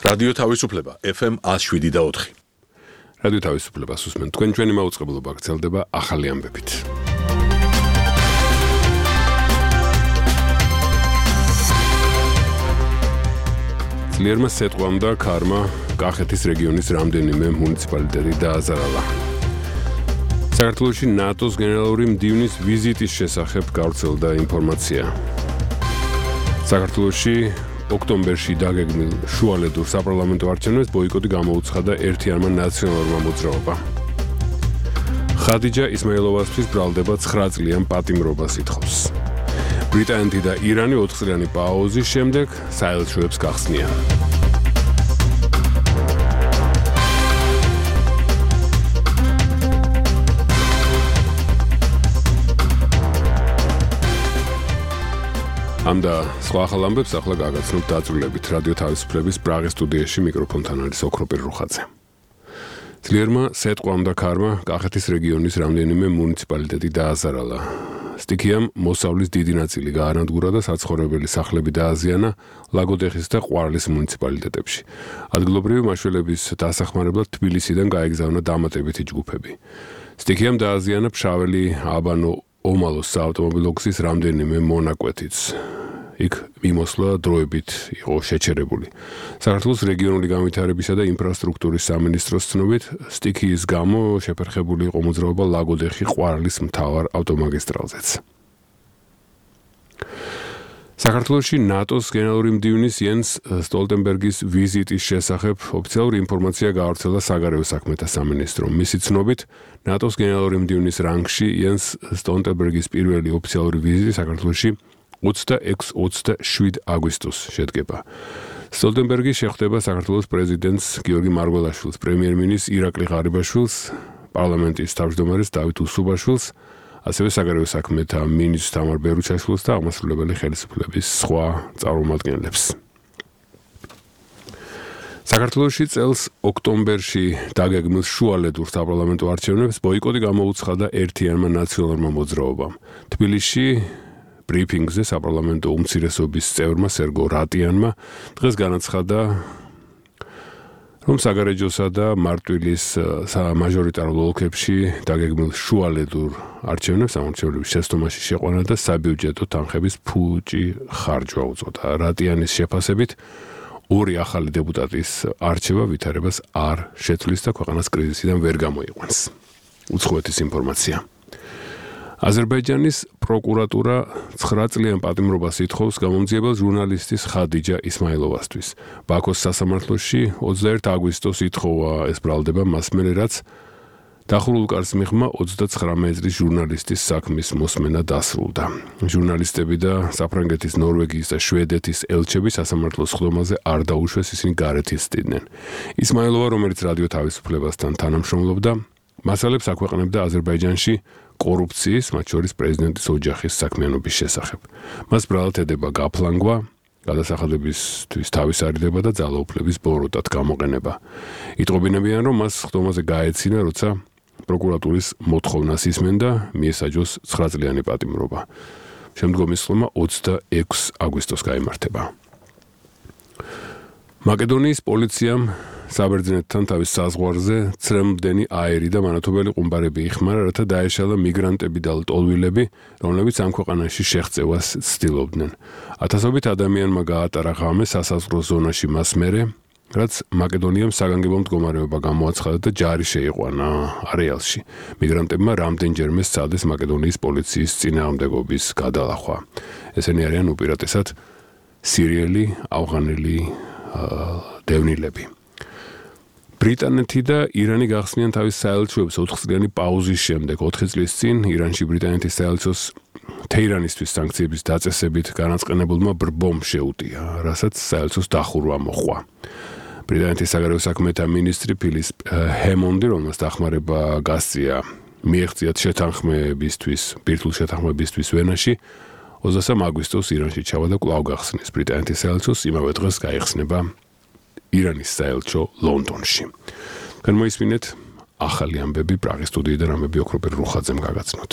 რადიო თავისუფლება FM 107.4. რადიო თავისუფლებას უსმენთ. თქვენ ჩვენი მაუწყებლობა გრძელდება ახალი ამბებით. ძლიერმა სეტყვამ და ქარმა კახეთის რეგიონის რამდენიმე მუნიციპალიტეტი დააზარალა. საქართველოში ნატოს გენერალური მდივნის ვიზიტის შესახებ გავრცელდა ინფორმაცია. საქართველოში ოქტომბერში დაგეგმილ შუალედურ საპარლამენტო არჩევნებს ბოიკოტი გამოუცხადა ერთიანმა ნაციონალურმა მოძრაობამ. ხადიჯა ისმაილოვასთვის ბრალდება 9 წლიან პატიმრობას ითხოვს. ბრიტანეთი და ირანი 4 წლიანი პაუზის შემდეგ საელჩოებს გახსნიან. ამ და სხვა ახალ ამბებს ახლა გაგაცნობთ დაწვრილებით რადიო თავისუფლების პრაღის სტუდიაში მიკროფონთან არის ოქროპირ რუხაძე. ძლიერმა სეტყვამ და ქარმა კახეთის რეგიონის რამდენიმე მუნიციპალიტეტი დააზარალა. სტიქიამ მოსავლის დიდი ნაწილი გაანადგურა და საცხოვრებელი სახლები დააზიანა ლაგოდეხის და ყვარლის მუნიციპალიტეტებში. ადგილობრივი მაშველების დასახმარებლად თბილისიდან გაეგზავნა დამატებითი ჯგუფები. სტიქიამ დააზიანა ფშაველი აბანო ომალოს საავტომობილო გზის რამდენიმე მონაკვეთიც. იქ მიმოსვლა დროებით იყო შეჩერებული. საქართველოს რეგიონული განვითარებისა და ინფრასტრუქტურის სამინისტროს ცნობით, სტიქიის გამო შეფერხებული იყო მოძრაობა ლაგოდეხი ყვარლის მთავარ ავტომაგისტრალზეც. საქართველოში ნატოს გენერალური მდივნის იენს სტოლტენბერგის ვიზიტის შესახებ ოფიციალური ინფორმაცია გაავრცელა საგარეო საქმეთა სამინისტრომ. მისი ცნობით, ნატოს გენერალური მდივნის რანგში იენს სტოლტენბერგის პირველი ოფიციალური ვიზიტი საქართველოში 26-27 აგვისტოს შედგება. სტოლტენბერგი შეხვდება საქართველოს პრეზიდენტს გიორგი მარგველაშვილს, პრემიერ-მინისტრს ირაკლი ღარიბაშვილს, პარლამენტის თავმჯდომარეს დავით უსუბაშვილს, ასევე საგარეო საქმეთა მინისტრს თამარ ბერუჩაშვილს და აღმასრულებელი ხელისუფლების სხვა წარმომადგენლებს. საქართველოში წელს ოქტომბერში დაგეგმილ შუალედურ საპარლამენტო არჩევნებს ბოიკოტი გამოუცხადა ერთიანმა ნაციონალურმა მოძრაობამ. თბილისში ბრიფინგზე საპარლამენტო უმცირესობის წევრმა სერგო რატიანმა დღეს განაცხადა, რომ საგარეჯოსა და მარტვილის მაჟორიტარულ ოლქებში დაგეგმილ შუალედურ არჩევნებს ამორჩევლების შეცდომაში შეყვანა და საბიუჯეტო თანხების ფუჭი ხარჯვა უწოდა. რატიანის შეფასებით, ორი ახალი დეპუტატის არჩევა ვითარებას არ შეცვლის და ქვეყანას კრიზისიდან ვერ გამოიყვანს. უცხოეთის ინფორმაცია. აზერბაიჯანის პროკურატურა 9 წლიან პატიმრობას ითხოვს გამომძიებელ ჟურნალისტის ხადიჯა ისმაილოვასთვის. ბაქოს სასამართლოში 21 აგვისტოს ითხოვა ეს ბრალდება მას მერე, რაც დახურულ კარს მიღმა 39 წლის ჟურნალისტის საქმის მოსმენა დასრულდა. ჟურნალისტები და საფრანგეთის, ნორვეგიის და შვედეთის ელჩები სასამართლოს სხდომაზე არ დაუშვეს, ისინი გარეთ ისდიდნენ. ისმაილოვა, რომელიც რადიო თავისუფლებასთან თანამშრომლობდა, მასალებს აქვეყნებდა აზერბაიჯანში კორუფციის, მათ შორის პრეზიდენტის ოჯახის საქმიანობის შესახებ. მას ბრალად ედება გაფლანგვა, გადასახადებისთვის თავის არიდება და ძალაუფლების ბოროტად გამოყენება. იტყობინებიან, რომ მას სხდომაზე გაეცინა, როცა პროკურატურის მოთხოვნას ისმენდა, მიესაჯოს 9 წლიანი პატიმრობა. შემდგომი სხდომა 26 აგვისტოს გაიმართება. მაკედონიის პოლიციამ საბერძნეთთან თავის საზღვარზე ცრემლმდენი აერი და მანათობელი ყუმბარები იხმარა, რათა დაეშალა მიგრანტები და ლტოლვილები, რომლებიც ამ ქვეყანაში შეღწევას ცდილობდნენ. ათასობით ადამიანმა გაატარა ღამე სასაზღვრო ზონაში მას მერე, რაც მაკედონიამ საგანგებო მდგომარეობა გამოაცხადა და ჯარი შეიყვანა არეალში. მიგრანტებმა რამდენჯერმე სცადეს მაკედონიის პოლიციის წინააღმდეგობის გადალახვა. ესენი არიან უპირატესად სირიელი, ავღანელი დევნილები. ბრიტანეთი და ირანი გახსნიან თავის საელჩოებს 4 წლიანი პაუზის შემდეგ. 4 წლის წინ ირანში ბრიტანეთის საელჩოს თეირანისთვის სანქციების დაწესებით განაწყენებულმა ბრბომ შეუტია, რასაც საელჩოს დახურვა მოჰყვა. ბრიტანეთის საგარეო საქმეთა მინისტრი ფილის ჰემონდი, რომელმაც დახმარება გასწია მიეღწიათ ბირთვულ შეთანხმებისთვის ვენაში, 23 აგვისტოს ირანში ჩავა და კვლავ გახსნის. ბრიტანეთის საელჩოს იმავე დღეს გაიხსნება ირანის საელჩო ლონდონში. განმოისმინეთ ახალი ამბები პრაღის სტუდიიდან ამბები ოქროპირ რუხაძემ გაგაცნოთ.